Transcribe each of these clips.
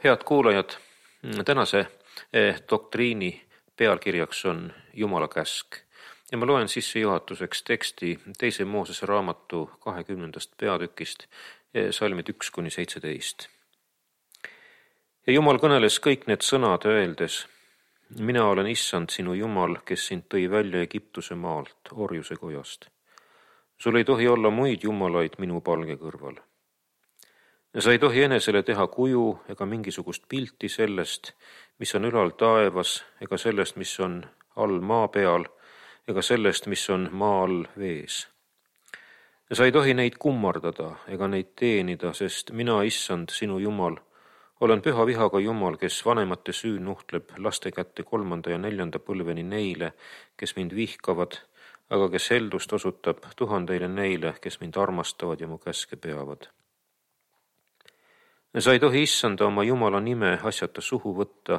Head kuulajad, tänase doktriini pealkirjaks on Jumala käsk ja ma loen sissejuhatuseks teksti 2. Moosese raamatu 20. peatükist, salmid 1-17. Ja Jumal kõneles kõik need sõnad öeldes: mina olen Issand sinu Jumal, kes sind tõi välja Egiptuse maalt, orjuse kojast. Sul ei tohi olla muid jumalaid minu palge kõrval. Sa ei tohi enesele teha kuju ega mingisugust pilti sellest, mis on ülal taevas, ega sellest, mis on all maa peal, ega sellest, mis on maa all vees. Sa ei tohi neid kummardada ega neid teenida, sest mina, Issand, sinu Jumal, olen püha vihaga Jumal, kes vanemate süü nuhtleb laste kätte 3. ja 4. põlveni neile, kes mind vihkavad, aga kes heldust osutab 1000 neile, kes mind armastavad ja mu käske peavad. Sa ei tohi Issanda oma Jumala nime asjata suhu võtta,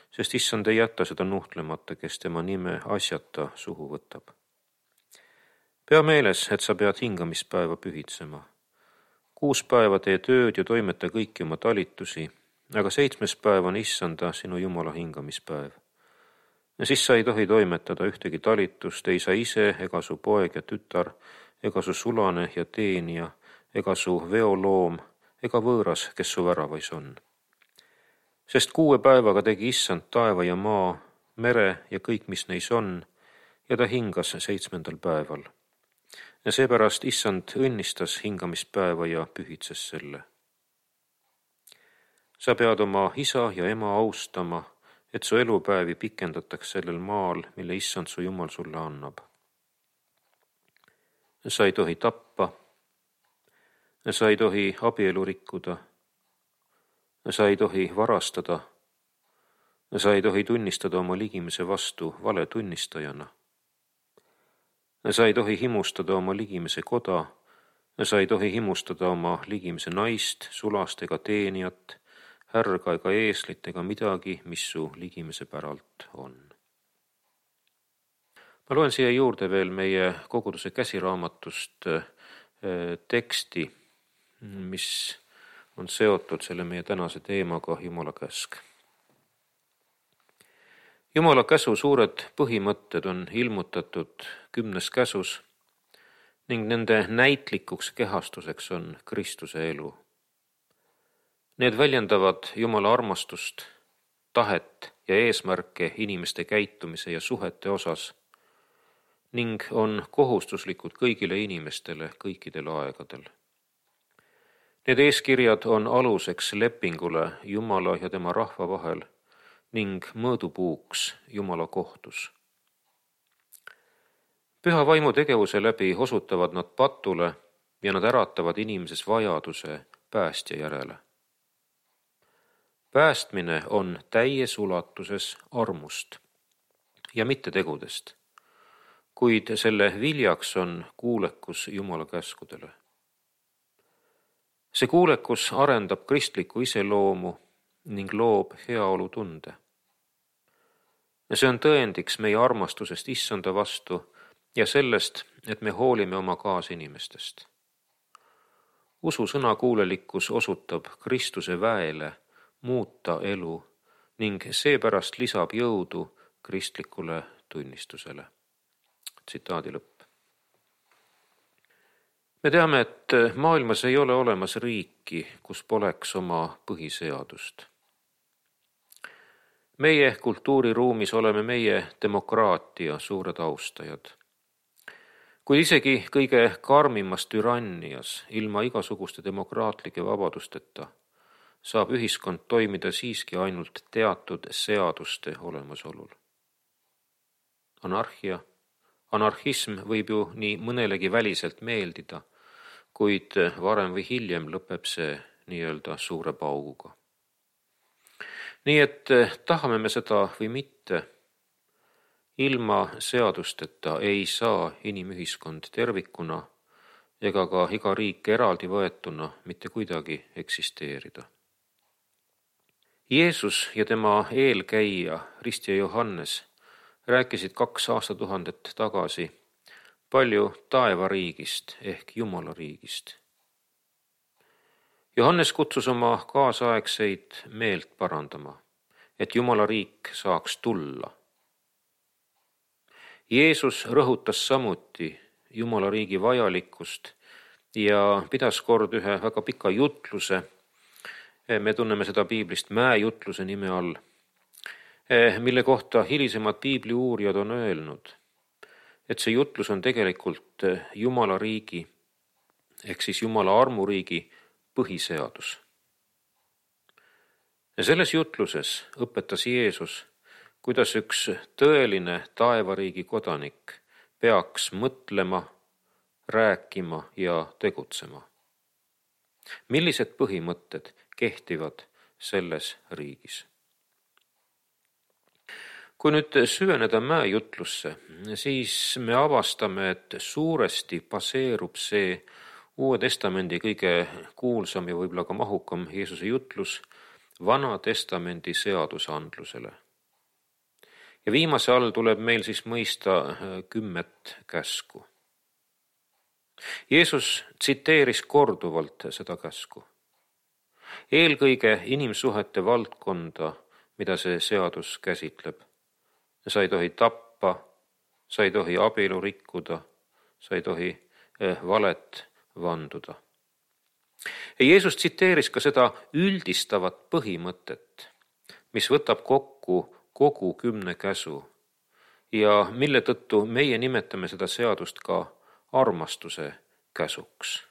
sest Issand ei jäta seda nuhtlemata, kes tema nime asjata suhu võtab. Pea meeles, et sa pead hingamispäeva pühitsema. 6 päeva tee tööd ja toimeta kõiki oma talitusi, aga 7. päev on Issanda sinu Jumala hingamispäev. Ja siis sa ei tohi toimetada ühtegi talitust, ei sa ise ega su poeg ja tütar, ega su sulane ja teenija, ega su veoloom, ega võõras, kes su väravais on. Sest 6 päevaga tegi Issand taeva ja maa, mere ja kõik, mis neis on, ja ta hingas 7. päeval. Ja seepärast Issand õnnistas hingamispäeva ja pühitses selle. Sa pead oma isa ja ema austama, et su elupäevi pikendataks sellel maal, mille Issand su Jumal sulle annab. Sa ei tohi tappa. Sa ei tohi abielu rikkuda. Sa ei tohi varastada. Sa ei tohi tunnistada oma ligimese vastu valetunnistajana. Sa ei tohi himustada oma ligimese koda. Sa ei tohi himustada oma ligimese naist, sulast ega teenijat, härga ega eeslit ega midagi, mis su ligimese päralt on. Ma loen siia juurde veel meie koguduse käsiraamatust teksti, mis on seotud selle meie tänase teemaga Jumala käsk. Jumala käsu suured põhimõtted on ilmutatud 10. käsus ning nende näitlikuks kehastuseks on Kristuse elu. Need väljendavad Jumala armastust, tahet ja eesmärke inimeste käitumise ja suhete osas ning on kohustuslikud kõigile inimestele kõikidel aegadel. Need eeskirjad on aluseks lepingule Jumala ja tema rahva vahel ning mõõdupuuks Jumala kohtus. Püha vaimu tegevuse läbi osutavad nad patule ja nad äratavad inimeses vajaduse päästja järele. Päästmine on täies ulatuses armust ja mitte tegudest, kuid selle viljaks on kuulekus Jumala käskudele. See kuulekus arendab kristlikku iseloomu ning loob heaolutunde. See on tõendiks meie armastusest Issanda vastu ja sellest, et me hoolime oma kaasinimestest. Usu sõnakuulelikkus osutab Kristuse väele muuta elu ning seepärast lisab jõudu kristlikule tunnistusele. Tsitaadi lõpp. Me teame, et maailmas ei ole olemas riiki, kus poleks oma põhiseadust. Meie kultuuriruumis oleme meie demokraatia suured austajad. Kuid isegi kõige karmimas türannias, ilma igasuguste demokraatlike vabadusteta, saab ühiskond toimida siiski ainult teatud seaduste olemasolul. Anarhism võib ju nii mõnelegi väliselt meeldida, kuid varem või hiljem lõpeb see nii-öelda suure pauguga. Nii et tahame me seda või mitte, ilma seadusteta ei saa inimühiskond tervikuna ega ka iga riik eraldi võetuna mitte kuidagi eksisteerida. Jeesus ja tema eelkäija Ristja Johannes rääkisid 2 aastatuhandet tagasi palju taevariigist ehk Jumala riigist. Johannes kutsus oma kaasaegseid meelt parandama, et Jumala riik saaks tulla. Jeesus rõhutas samuti Jumala riigi vajalikkust ja pidas kord ühe väga pika jutluse. Me tunneme seda piiblist mäejutluse nime all, mille kohta hilisemad piibli uurijad on öelnud, et see jutlus on tegelikult Jumala riigi ehk siis Jumala armuriigi põhiseadus. Ja selles jutluses õpetas Jeesus, kuidas üks tõeline taevariigi kodanik peaks mõtlema, rääkima ja tegutsema. Millised põhimõtted kehtivad selles riigis? Kui nüüd süveneda mäejutlusse, siis me avastame, et suuresti baseerub see Uue Testamendi kõige kuulsam ja võib-olla ka mahukam Jeesuse jutlus Vana Testamendi seadusandlusele. Ja viimase all tuleb meil siis mõista 10 käsku. Jeesus tsiteeris korduvalt seda käsku. Eelkõige inimsuhete valdkonda, mida see seadus käsitleb. Sa ei tohi tappa, sa ei tohi abielu rikkuda, sa ei tohi valet vanduda. Jeesus tsiteeris ka seda üldistavat põhimõtet, mis võtab kokku kogu 10 käsu ja mille tõttu meie nimetame seda seadust ka armastuse käsuks.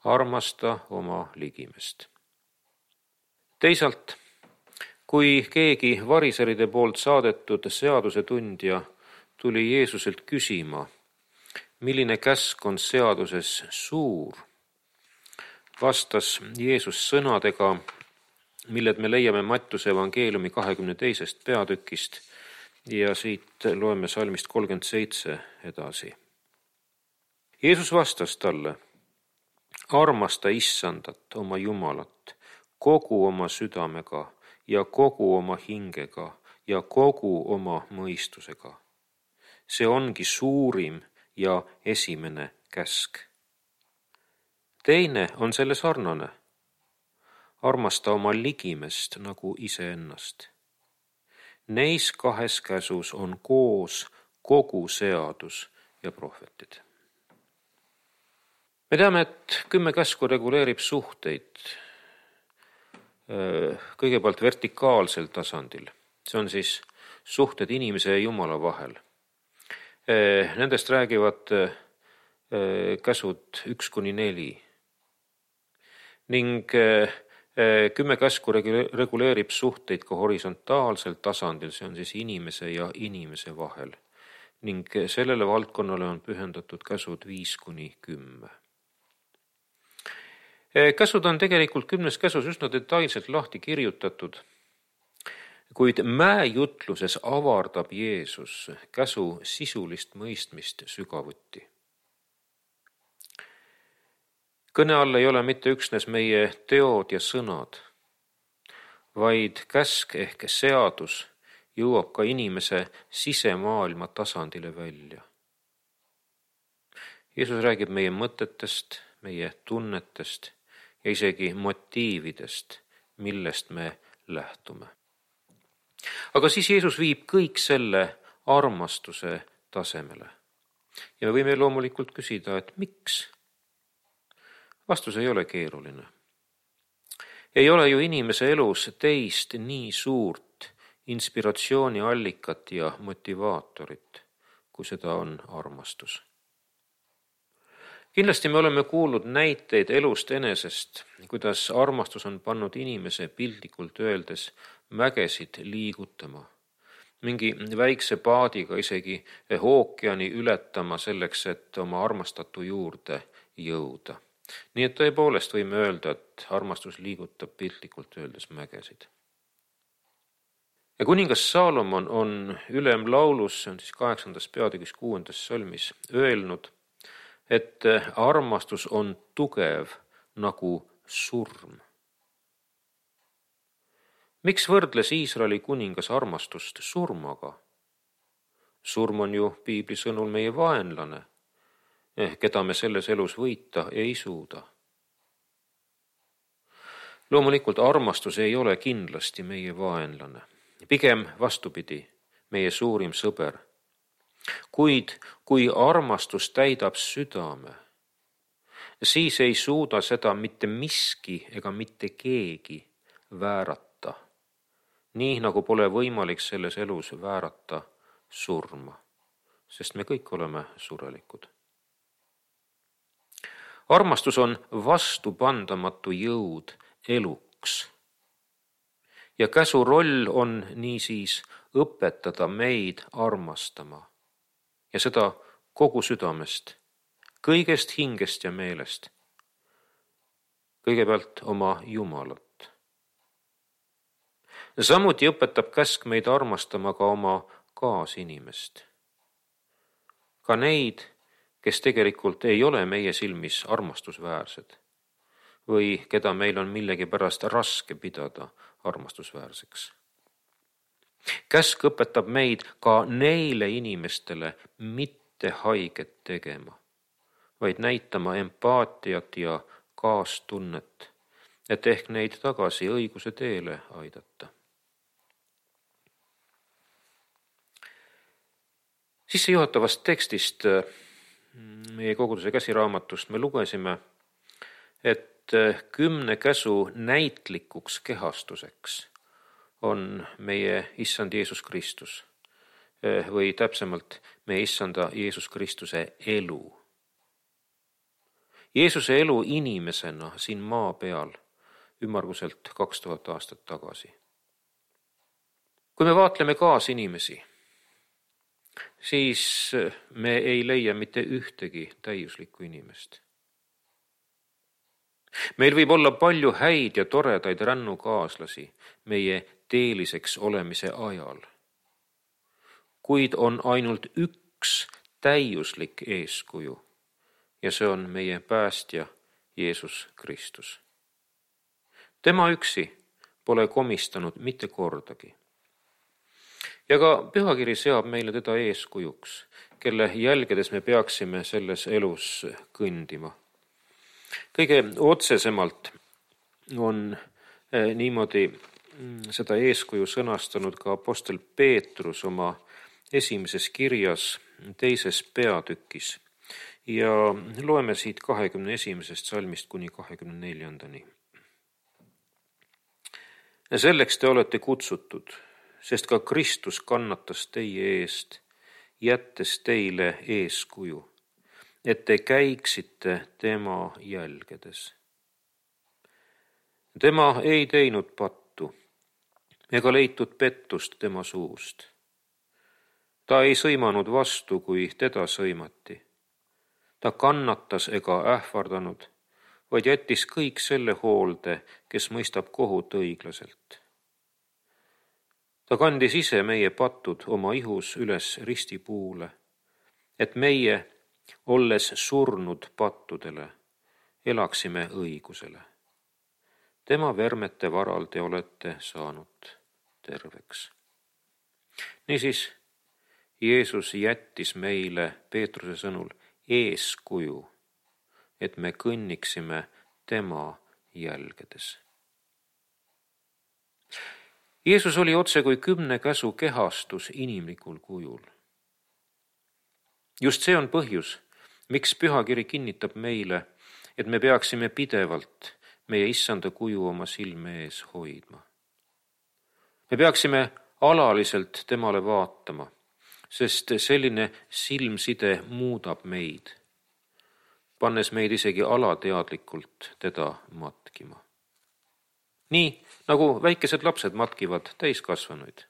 Armasta oma ligimest. Teisalt, kui keegi variseride poolt saadetud seadusetundja tuli Jeesuselt küsima, milline käsk on seaduses suur, vastas Jeesus sõnadega, milled me leiame Mattuse evangeeliumi 22. peatükist ja siit loeme salmist 37 edasi. Jeesus vastas talle, armasta Issandat, oma Jumalat, kogu oma südamega ja kogu oma hingega ja kogu oma mõistusega. See ongi suurim ja esimene käsk. Teine on selle sarnane. Armasta oma ligimest nagu iseennast. Neis 2 käsus on koos kogu seadus ja prohvetid. Me teame, et 10 käsku reguleerib suhteid kõigepealt vertikaalsel tasandil. See on siis suhted inimese ja Jumala vahel. Nendest räägivad käsud 1-4. Ning 10 käsku reguleerib suhteid ka horisontaalsel tasandil, see on siis inimese ja inimese vahel. Ning sellele valdkonnale on pühendatud käsud 5-10. Käsud on tegelikult 10 käsus üsna detailselt lahti kirjutatud, kuid mäejutluses avardab Jeesus käsu sisulist mõistmist sügavuti. Kõne all ei ole mitte üksnes meie teod ja sõnad, vaid käsk ehk seadus jõuab ka inimese sisemaailma tasandile välja. Jeesus räägib meie mõtetest, meie tunnetest ja isegi motiividest, millest me lähtume. Aga siis Jeesus viib kõik selle armastuse tasemele. Ja me võime loomulikult küsida, et miks? Vastus ei ole keeruline. Ei ole ju inimese elus teist nii suurt inspiratsiooniallikat ja motivaatorit, kui seda on armastus. Kindlasti me oleme kuulnud näiteid elust enesest, kuidas armastus on pannud inimese piltlikult öeldes mägesid liigutama. Mingi väikse paadiga isegi ookeani ületama selleks, et oma armastatu juurde jõuda. Nii et tõepoolest võime öelda, et armastus liigutab piltlikult öeldes mägesid. Ja kuningas Saalomon on ülemlaulus, see on siis 8. peatükis 6. salmis, öelnud, et armastus on tugev nagu surm. Miks võrdles Iisraeli kuningas armastust surmaga? Surm on ju piibli sõnul meie vaenlane, keda me selles elus võita ei suuda. Loomulikult armastus ei ole kindlasti meie vaenlane, pigem vastupidi, meie suurim sõber. Kuid kui armastus täidab südame, siis ei suuda seda mitte miski ega mitte keegi väärata, nii nagu pole võimalik selles elus väärata surma, sest me kõik oleme surelikud. Armastus on vastupandamatu jõud eluks. Ja käsu roll on niisiis õpetada meid armastama ja seda kogu südamest, kõigest hingest ja meelest. Kõigepealt oma Jumalat. Samuti õpetab käsk meid armastama ka oma kaasinimest. Ka neid, kes tegelikult ei ole meie silmis armastusväärsed või keda meil on millegipärast raske pidada armastusväärseks. Käsk õpetab meid ka neile inimestele mitte haiget tegema, vaid näitama empaatiat ja kaastunnet, et ehk neid tagasi õiguse teele aidata. Sissejuhatavast tekstist meie koguduse käsiraamatust me lugesime, et 10 käsu näitlikuks kehastuseks on meie Issand Jeesus Kristus või täpsemalt meie Issanda Jeesus Kristuse elu. Jeesuse elu inimesena siin maa peal ümmarguselt 2000 aastat tagasi. Kui me vaatleme kaasinimesi, siis me ei leia mitte ühtegi täiuslikku inimest. Meil võib olla palju häid ja toredaid rännukaaslasi meie teeliseks olemise ajal, kuid on ainult üks täiuslik eeskuju ja see on meie päästja Jeesus Kristus. Tema üksi pole komistanud mitte kordagi. Ja ka pühakiri seab meile teda eeskujuks, kelle jälgedes me peaksime selles elus kõndima. Kõige otsesemalt on niimoodi seda eeskuju sõnastanud ka apostel Peetrus oma esimeses kirjas 2. peatükis ja loeme siit 21. salmist kuni 24. Selleks te olete kutsutud, sest ka Kristus kannatas teie eest, jättes teile eeskuju, et te käiksite tema jälgedes. Tema ei teinud pattu ega leitud pettust tema suust. Ta ei sõimanud vastu, kui teda sõimati. Ta kannatas ega ähvardanud, vaid jättis kõik selle hoolde, kes mõistab kohut õiglaselt. Ta kandis ise meie patud oma ihus üles ristipuule, et meie, olles surnud pattudele, elaksime õigusele. Tema vermete varal te olete saanud terveks. Niisiis, Jeesus jättis meile Peetruse sõnul eeskuju, et me kõnniksime tema jälgedes. Jeesus oli otse kui 10 käsu kehastus inimlikul kujul. Just see on põhjus, miks pühakiri kinnitab meile, et me peaksime pidevalt meie Issanda kuju oma silme ees hoidma. Me peaksime alaliselt temale vaatama, sest selline silmside muudab meid, pannes meid isegi alateadlikult teda matkima. Nii nagu väikesed lapsed matkivad täiskasvanuid.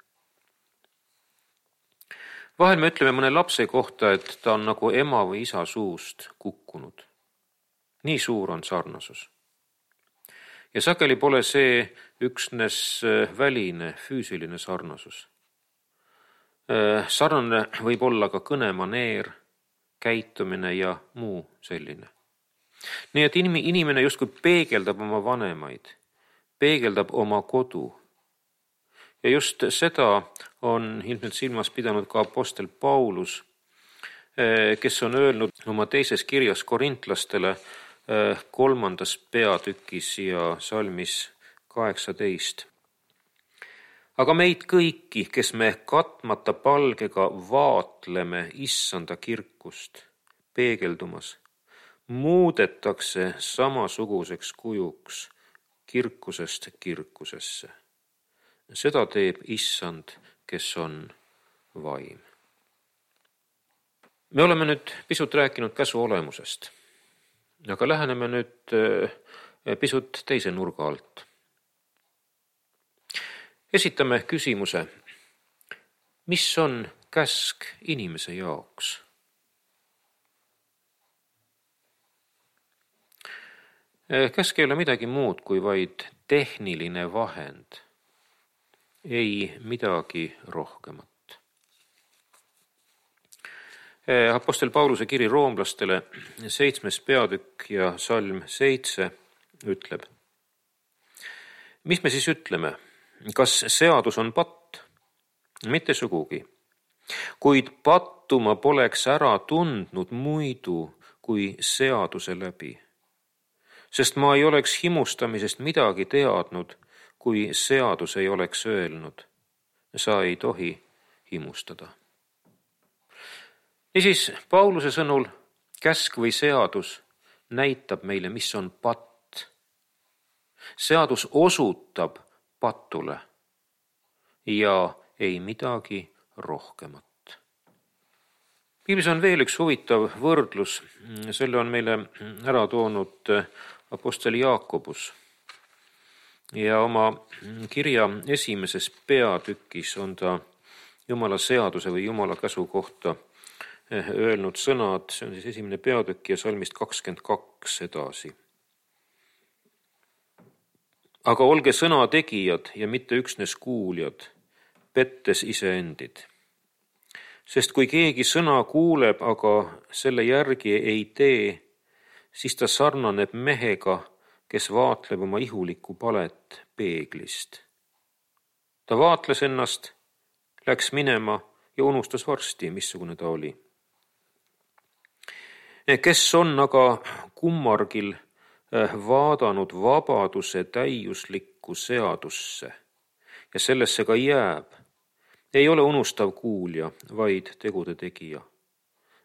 Vahel me ütleme mõne lapse kohta, et ta on nagu ema või isa suust kukkunud. Nii suur on sarnasus. Ja sageli pole see üksnes väline, füüsiline sarnasus. Sarnane võib olla ka kõnemaneer, käitumine ja muu selline. Nii et inimene justkui peegeldab oma vanemaid, peegeldab oma kodu. Ja just seda on ilmselt silmas pidanud ka apostel Paulus, kes on öelnud oma 2. kirjas korintlastele 3. peatükis ja salmis 18. Aga meid kõiki, kes me katmata palgega vaatleme issanda kirkust peegeldumas, muudetakse samasuguseks kujuks kirkusest kirkusesse. Seda teeb issand, kes on vaim. Me oleme nüüd pisut rääkinud käsu olemusest, aga läheneme nüüd pisut teise nurga alt. Esitame küsimuse, mis on käsk inimese jaoks? Käsk ei ole midagi muud kui vaid tehniline vahend, ei midagi rohkemat. Apostel Pauluse kiri roomlastele 7. peatükk ja salm 7 ütleb: mis me siis ütleme? Kas seadus on patt? Mitte sugugi. Kuid pattu ma poleks ära tundnud muidu kui seaduse läbi. Sest ma ei oleks himustamisest midagi teadnud, kui seadus ei oleks öelnud: sa ei tohi himustada. Niisiis, Pauluse sõnul käsk või seadus näitab meile, mis on patt. Seadus osutab patule ja ei midagi rohkemat. Piiblis on veel üks huvitav võrdlus, selle on meile ära toonud apostel Jaakobus. Ja oma kirja 1. peatükis on ta Jumala seaduse või Jumala käsu kohta öelnud sõnad, see on siis 1. peatükk ja salmist 22 edasi. Aga olge sõna tegijad ja mitte üksnes kuuljad, pettes iseendid. Sest kui keegi sõna kuuleb, aga selle järgi ei tee, siis ta sarnaneb mehega, kes vaatleb oma ihulikku palet peeglist. Ta vaatles ennast, läks minema ja unustas varsti, missugune ta oli. Kes on aga kummargil vaadanud vabaduse täiuslikku seadusse ja sellesse ka jääb, ei ole unustav kuulja, vaid tegude tegija.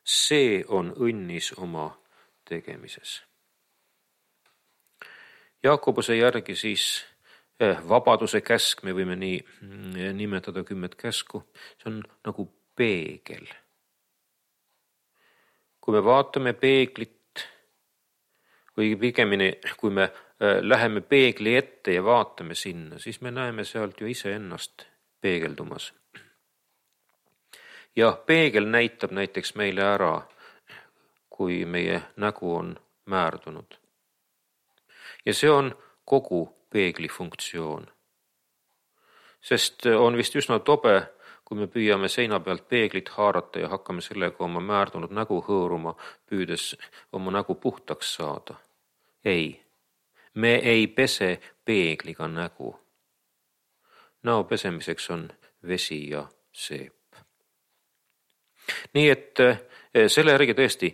See on õnnis oma tegemises. Jaakobuse järgi siis vabaduse käsk, me võime nii nimetada 10 käsku, see on nagu peegel. Kui me vaatame peeglit, või pigemini, kui me läheme peegli ette ja vaatame sinna, siis me näeme sealt ju iseennast peegeldumas. Ja peegel näitab näiteks meile ära, kui meie nägu on määrdunud. Ja see on kogu peegli funktsioon. Sest on vist üsna tobe, kui me püüame seina pealt peeglit haarata ja hakkame sellega oma määrdunud nägu hõõruma, püüdes oma nägu puhtaks saada. Ei, me ei pese peegliga nägu. Näo pesemiseks on vesi ja seep. Nii et selle järgi tõesti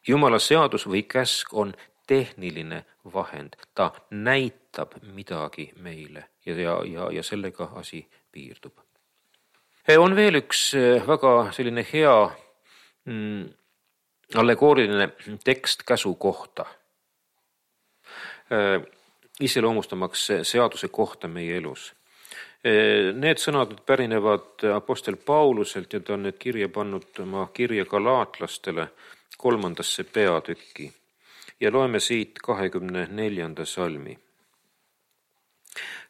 Jumala seadus või käsk on tehniline vahend. Ta näitab midagi meile ja sellega asi piirdub. On veel üks väga selline hea allegooriline tekst käsu kohta, iseloomustamaks seaduse kohta meie elus. Need sõnad pärinevad apostel Pauluselt ja ta on need kirja pannud oma kirja galaatlastele 3. peatükki ja loeme siit 24. salmi.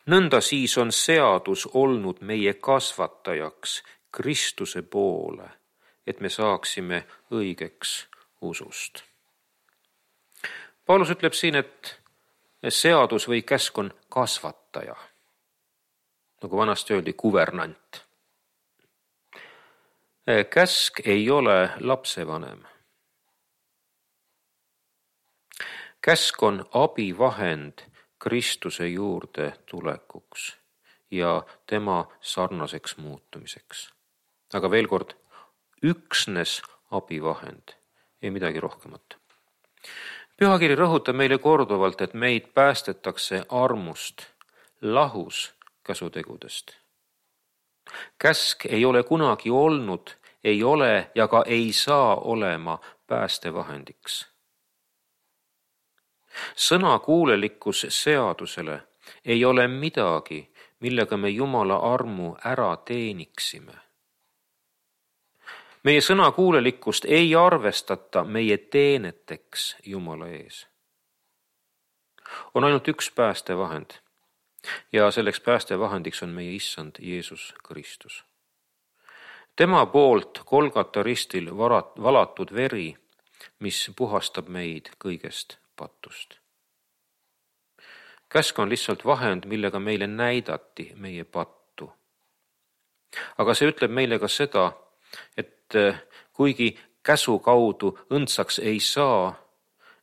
Nõnda siis on seadus olnud meie kasvatajaks Kristuse poole, et me saaksime õigeks usust. Paulus ütleb siin, et seadus või käsk on kasvataja, nagu vanasti öeldi, kuvernant. Käsk ei ole lapsevanem. Käsk on abivahend Kristuse juurde tulekuks ja tema sarnaseks muutumiseks. Aga veel kord, üksnes abivahend, ei midagi rohkemat. Pühakiri rõhutab meile korduvalt, et meid päästetakse armust lahus käsutegudest. Käsk ei ole kunagi olnud, ei ole ja ka ei saa olema päästevahendiks. Sõnakuulelikkus seadusele ei ole midagi, millega me Jumala armu ära teeniksime. Meie sõnakuulelikkust ei arvestata meie teeneteks Jumala ees. On ainult üks päästevahend ja selleks päästevahendiks on meie Issand Jeesus Kristus. Tema poolt Golgata ristil valatud veri, mis puhastab meid kõigest patust. Käsk on lihtsalt vahend, millega meile näidati meie pattu. Aga see ütleb meile ka seda, et kuigi käsu kaudu õndsaks ei saa,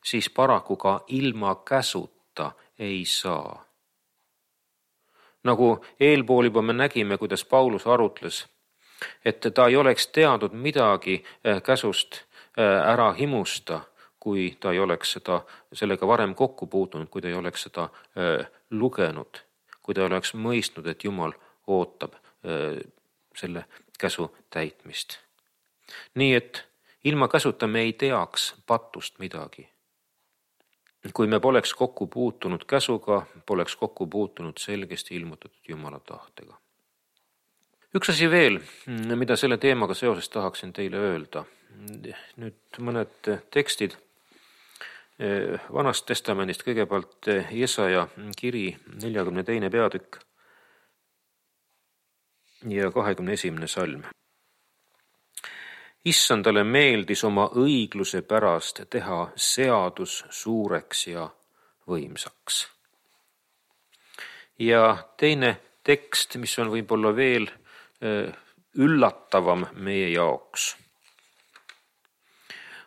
siis paraku ka ilma käsuta ei saa. Nagu eelpool juba me nägime, kuidas Paulus arutles, et ta ei oleks teadnud midagi käsust ära himusta, kui ta ei oleks sellega varem kokku puutunud, kui ta ei oleks seda lugenud, kui ta oleks mõistnud, et Jumal ootab selle käsu täitmist. Nii et ilma käsuta me ei teaks patust midagi. Kui me poleks kokku puutunud käsuga, poleks kokku puutunud selgesti ilmutatud Jumala tahtega. Üks asi veel, mida selle teemaga seoses tahaksin teile öelda. Nüüd mõned tekstid Vanast Testamendist, kõigepealt Jesaja kiri 42. peatükk ja 21. salm. Issandale meeldis oma õigluse pärast teha seadus suureks ja võimsaks. Ja teine tekst, mis on võib-olla veel üllatavam meie jaoks,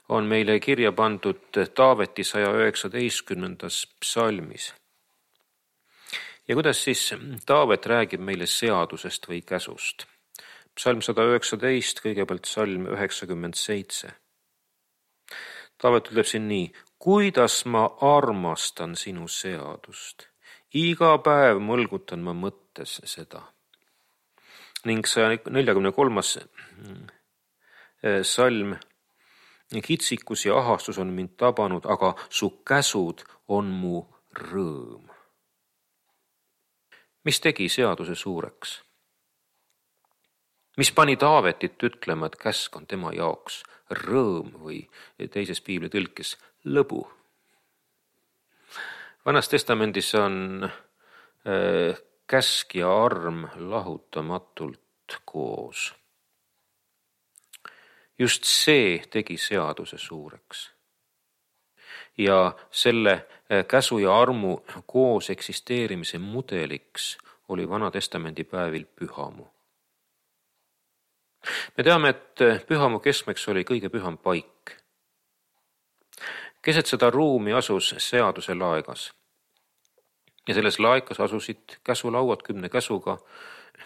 on meile kirja pandud Taaveti 119. psalmis. Ja kuidas siis Taavet räägib meile seadusest või käsust? Psalm 119, kõigepealt salm 97. Taavet ütleb siin nii: kuidas ma armastan sinu seadust, iga päev mõlgutan ma mõttes seda. Ning 143. salm: kitsikus ja ahastus on mind tabanud, aga su käsud on mu rõõm. Mis tegi seaduse suureks? Mis pani Taavetit ütlema, et käsk on tema jaoks rõõm või teises piibli tõlkes lõbu? Vanas Testamendis on käsk ja arm lahutamatult koos. Just see tegi seaduse suureks. Ja selle käsu ja armu koos eksisteerimise mudeliks oli Vana Testamendi päevil pühamu. Me teame, et pühamu keskmeks oli kõige püham paik. Keset seda ruumi asus seaduse laegas. Ja selles laekas asusid käsulauad 10 käsuga,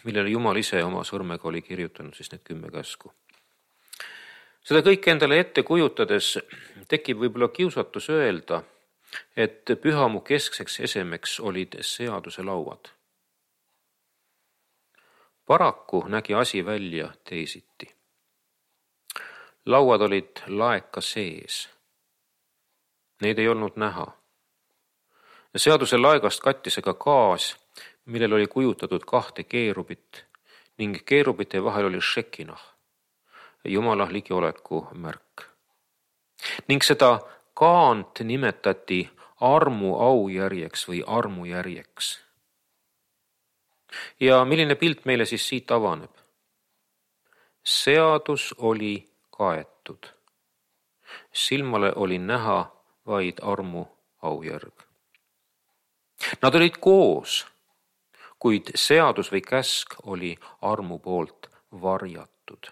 millele Jumal ise oma sõrmega oli kirjutanud siis need 10 käsku. Seda kõike endale ette kujutades tekib võib-olla kiusatus öelda, et pühamu keskseks esemeks olid seaduse lauad. Paraku nägi asi välja teisiti. Lauad olid laeka sees. Neid ei olnud näha. Seaduse laegast kattis ka gaas, millel oli kujutatud 2 keerubit ning keerubite vahel oli šekinah, Jumala ligioleku märk. Ning seda kaant nimetati armu aujärjeks või armujärjeks. Ja milline pilt meile siis siit avaneb? Seadus oli kaetud. Silmale oli näha vaid armu aujärg. Nad olid koos, kuid seadus või käsk oli armu poolt varjatud.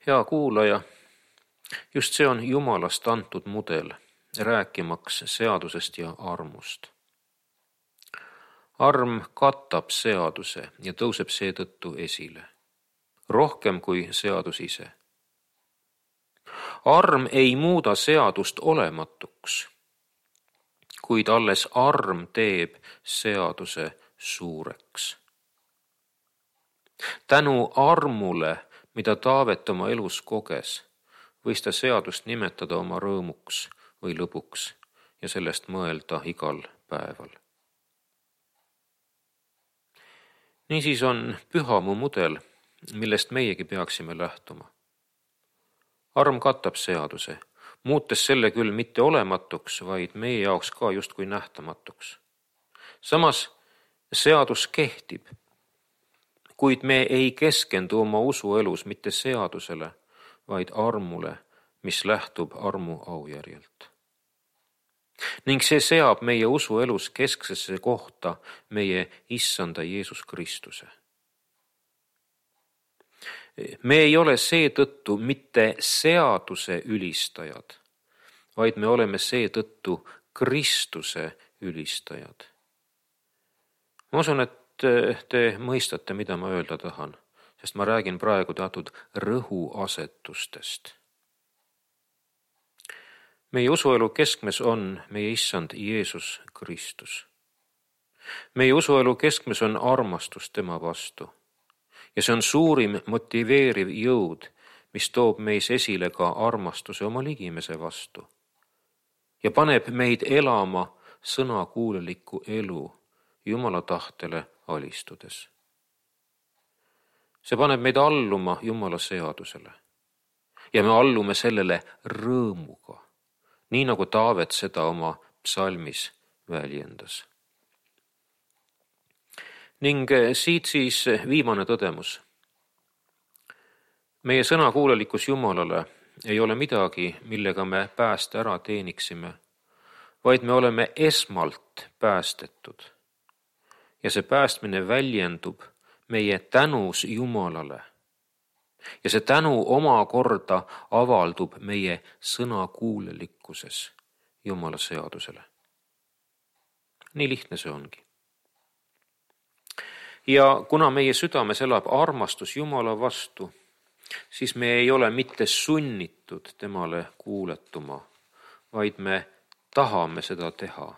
Hea kuulaja, just see on Jumalast antud mudel, rääkimaks seadusest ja armust. Arm katab seaduse ja tõuseb seetõttu esile, rohkem kui seadus ise. arm ei muuda seadust olematuks, kuid alles arm teeb seaduse suureks. Tänu armule, mida Taavet oma elus koges, võis ta seadust nimetada oma rõõmuks või lõbuks ja sellest mõelda igal päeval. Niisiis on pühamu mudel, millest meiegi peaksime lähtuma. Arm katab seaduse, muutes selle küll mitte olematuks, vaid meie jaoks ka justkui nähtamatuks. Samas seadus kehtib, kuid me ei keskendu oma usuelus mitte seadusele, vaid armule, mis lähtub armu aujärjelt. Ning see seab meie usuelus kesksesse kohta meie Issanda Jeesus Kristuse. Me ei ole seetõttu mitte seaduse ülistajad, vaid me oleme seetõttu Kristuse ülistajad. Ma usun, et te mõistate, mida ma öelda tahan, sest ma räägin praegu teatud rõhuasetustest. Meie usuelu keskmes on meie Issand Jeesus Kristus. Meie usuelu keskmes on armastus tema vastu. Ja see on suurim motiveeriv jõud, mis toob meis esile ka armastuse oma ligimese vastu. Ja paneb meid elama sõnakuulelikku elu Jumala tahtele alistudes. See paneb meid alluma Jumala seadusele. Ja me allume sellele rõõmuga, nii nagu Taavet seda oma psalmis väljendas. Ning siit siis viimane tõdemus. Meie sõnakuulelikkus Jumalale ei ole midagi, millega me pääste ära teeniksime, vaid me oleme esmalt päästetud. Ja see päästmine väljendub meie tänus Jumalale. Ja see tänu omakorda avaldub meie sõnakuulelikkuses Jumala seadusele. Nii lihtne see ongi. Ja kuna meie südames elab armastus Jumala vastu, siis me ei ole mitte sunnitud temale kuuletuma, vaid me tahame seda teha.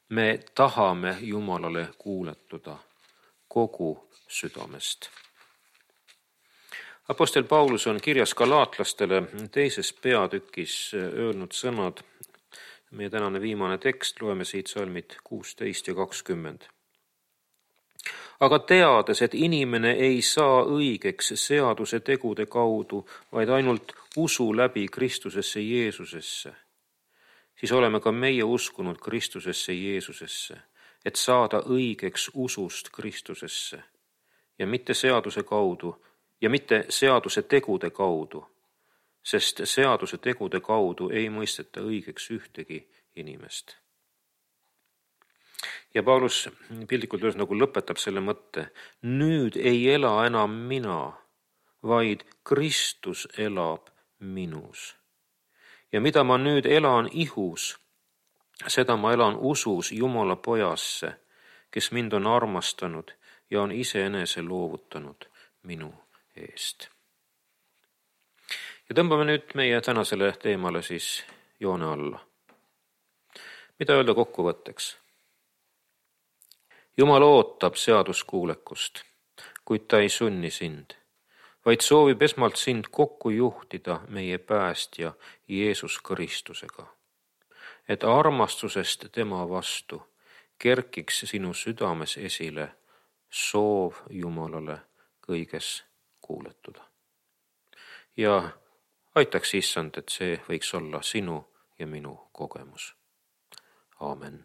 Me tahame Jumalale kuuletuda kogu südamest. Apostel Paulus on kirjas galaatlastele 2. peatükis öelnud sõnad. Meie tänane viimane tekst, loeme siit salmid 16 ja 20. Aga teades, et inimene ei saa õigeks seaduse tegude kaudu, vaid ainult usu läbi Kristusesse Jeesusesse, siis oleme ka meie uskunud Kristusesse Jeesusesse, et saada õigeks usust Kristusesse ja mitte seaduse kaudu ja mitte seaduse tegude kaudu, sest seaduse tegude kaudu ei mõisteta õigeks ühtegi inimest. Ja Paulus piltlikult öeldes nagu lõpetab selle mõtte. Nüüd ei ela enam mina, vaid Kristus elab minus. Ja mida ma nüüd elan ihus, seda ma elan usus Jumala pojasse, kes mind on armastanud ja on iseenese loovutanud minu eest. Ja tõmbame nüüd meie tänasele teemale siis joone alla. Mida öelda kokkuvõtteks? Jumal ootab seaduskuulekust, kuid ta ei sunni sind, vaid soovib esmalt sind kokku juhtida meie päästja Jeesus Kristusega, et armastusest tema vastu kerkiks sinu südames esile soov Jumalale kõiges kuuletuda. Ja aitaks Issand, et see võiks olla sinu ja minu kogemus. Aamen.